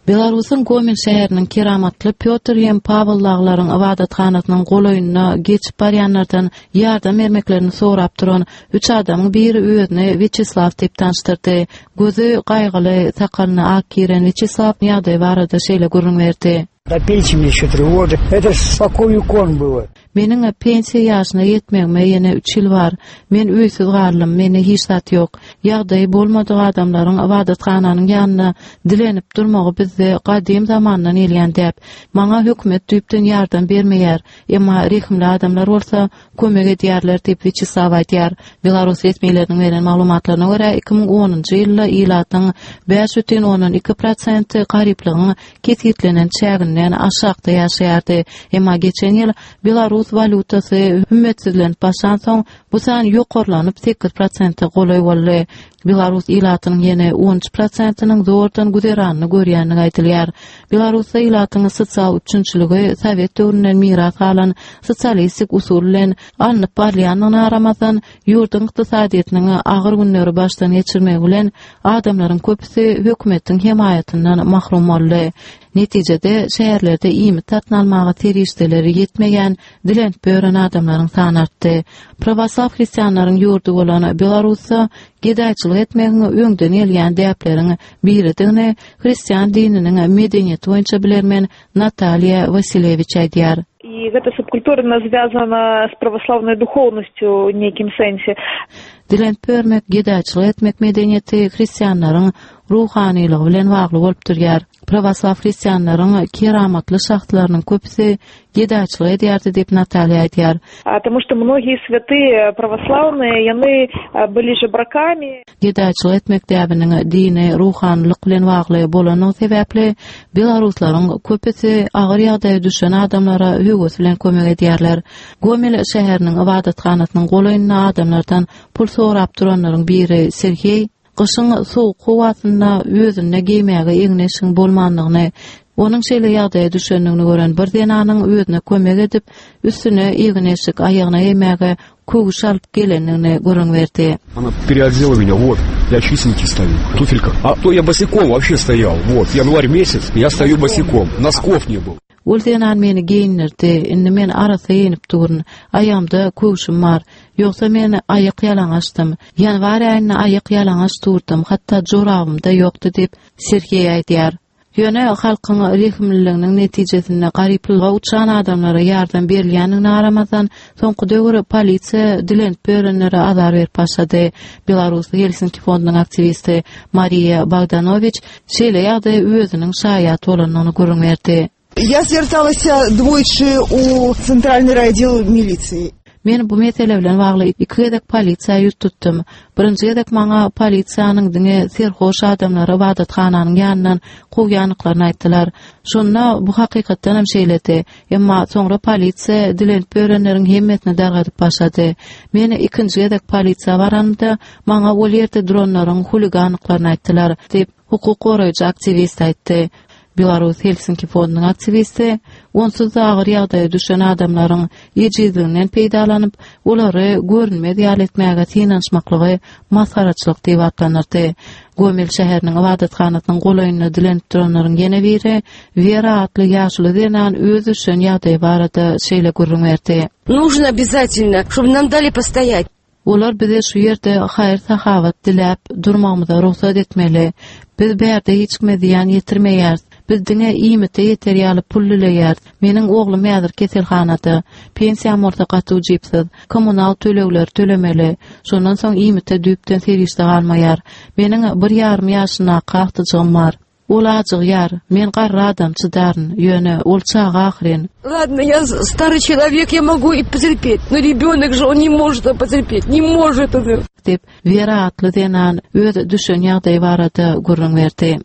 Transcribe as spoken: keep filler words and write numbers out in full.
Belarusyň Gomel şäheriniň keramatly Pýotr hem Pawel daglaryň ybadathanasynyň golaýynda geçip barýanlardan ýardam bermeklerini sorap duran üç adamyň biri özüni Wýaçeslaw diýip tanyşdyrdy. Gözi gaýgyly, sakalyna ak giren Wýaçeslaw ýagdaý barada şeýle gürrüň berdi. До пенсии мне еще три года. Это ж спокон веков было. Meniň pensiýa ýaşyna ýetmegime ýene üç ýyl bar. Men öýsüz galdym, mende hiç zat ýok. Ýagdaýy bolmadyk adamlaryň ybadathananyň ýanynda dilenip durmagy bizde gadym zamandan gelýän däp. Maňa hökümet düýpden ýardam bermeýär, emma rehimli adamlar bolsa kömek edýärler diýip Wýaçeslaw aýdýar. Belarus resmileriniň beren maglumatlaryna görä iki müň onunjy ýylda ilatyň bäş bütin ondan iki prosenti garyplygyň kesgitlenen çäginden aşakda ýaşaýardy. Emma geçen ýyl Belarus walýutasy hümmetsizlenip başlansoň, bu san ýokarlanyp sekiz prosente golaý boldy. Belarus ilatynyň ýene on üç prosentiniň zordan güzeranyny görýändigi aýdylýar. Belarusda ilatyň sosial üpjünçiligi Sowet döwründen miras galan sosialistik usul bilen alnyp barylýandygyna garamazdan, ýurduň ykdysadyýetiniň agyr günleri başdan geçirmegi bilen adamlaryň köpüsi hökümetiň hemaýatyndan mahrum boldy. Netijede şäherlerde iýmit satyn almaga serişdeleri ýetmeýän dilenip ýören adamlaryň sany artdy. Pravoslaw hristianlaryň ýurdy bolan Belarusda gedaýçylyk etmegiň öňden gelýän däpleriň biridigini hristian dininiň medeniýeti boýunça bilermen Nataliýa Wasilewiç aýdýar. И эта субкультура, она связана с православной духовностью в неким сенсе. Dilenip ýörmek, gedaýçylyk etmek medeniýeti hristianlaryň ruhanylygy bilen bagly bolup durýar. Pravoslaw hristianlaryň keramatly şahslarynyň köpüsi gedaýçylyk edýärdi diýip Nataliýa aýdýar. Потому что многие святые православные, яны были жебраками. Gedaýçylyk etmek däbiniň dini ruhanylyk bilen bagly bolanyny sebäpli belaruslaryň köpüsi agyr ýagdaýa düşen adamlara höwes bilen kömek edýärler. Gomel şäheriniň ybadathanasynyň golaýynda adamlardan pul sorap duranlaryň biri Sergeý gyşyň sowuk howasynda özünde geýmäge egin-eşigiň bolmandygyny, onuň şeýle ýagdaýa düşendigini gören bir zenanyň özüne kömek edip, üstüne egin-eşik aýagyna geýmäge köwüş alyp gelendigini gürrüň berdi. Она переодела меня, вот, я чистенький стою, в туфельках. А то я босиком вообще стоял, вот, январь месяц, я стою босиком, носков не было. Ol zenan meni geýindirdi, indi men arasy geýinip durun, aýagymda köwşüm bar, ýogsa men aýak ýalaňaçdym. Ýanwar aýynda aýak ýalaňaç durdum, hatda jorabym-da ýokdy diýip Sergeý aýdýar. Ýöne halkyň rehimliliginiň netijesinde garyplyga uçan adamlara ýardam berilýändigine garamazdan, soňky döwür polisiýa dilenip ýörenlere azar berip başlady. Belarus Helsinki fondunyň aktiwisti Mariýa Bogdanowiç şeýle ýagdaýa özüniň şaýat bolandygyny gürrüň berdi. Я зверталася двойчы у центральный райотдел милиции. Men bu mesele bilen bagly iki gezek polisiýa ýüz tutdum. Birinji gezek maňa polisiýanyň diňe serhoş adamlary ybadathananyň ýanyndan kowýandyklaryny aýtdylar. Şonda bu hakykatdan hem şeýledi. Emma soňra polisiýa dilenip ýörenleriň hemmesini dargadyp başlady. Men ikinji gezek polisiýa baranymda maňa ol ýerde duranlaryň huliganlyklaryny aýtdylar diýip hukuk goraýjy aktiwist aýtdy. Belarus Helsinki fondunyň aktiwisti onsuz da agyr ýagdaýa düşen adamlaryň ejizliginden peýdalanyp, olary görünmez ýaly etmäge synanyşmaklygy masgaraçylyk diýip atlandyrdy. Gomel şäheriniň ybadathanasynyň golaýynda dilenip duranlaryň ýene biri Wera atly ýaşuly zenan öz düşen ýagdaýy barada şeýle gürrüň berdi. Нужно обязательно, чтобы нам дали постоять. Olar bize şu ýerde haýyr-sahawat diläp durmagymyza rugsat etmeli. Biz bärde hiç kime zyýan ýetirmeýäris. Biz diňe iýmite ýeter ýaly pul dileýäris. Meniň oglum häzir keselhanada. Pensiýam bolsa gaty ujypsyz. Kommunal tölegleri tölemeli. Şondan soň iýmite düýpden serişde galmaýar. Meniň bir ýarym ýaşyndaky agtyjygym bar. Ol ajygýar. Men garry adam çydaryn. Ýöne ol çaga ahyryn. Ладно, я старый человек, я могу и потерпеть, но ребенок же он не может потерпеть, не может он. Diýip Wera atly zenan öz düşen ýagdaýy barada gürrüň berdi.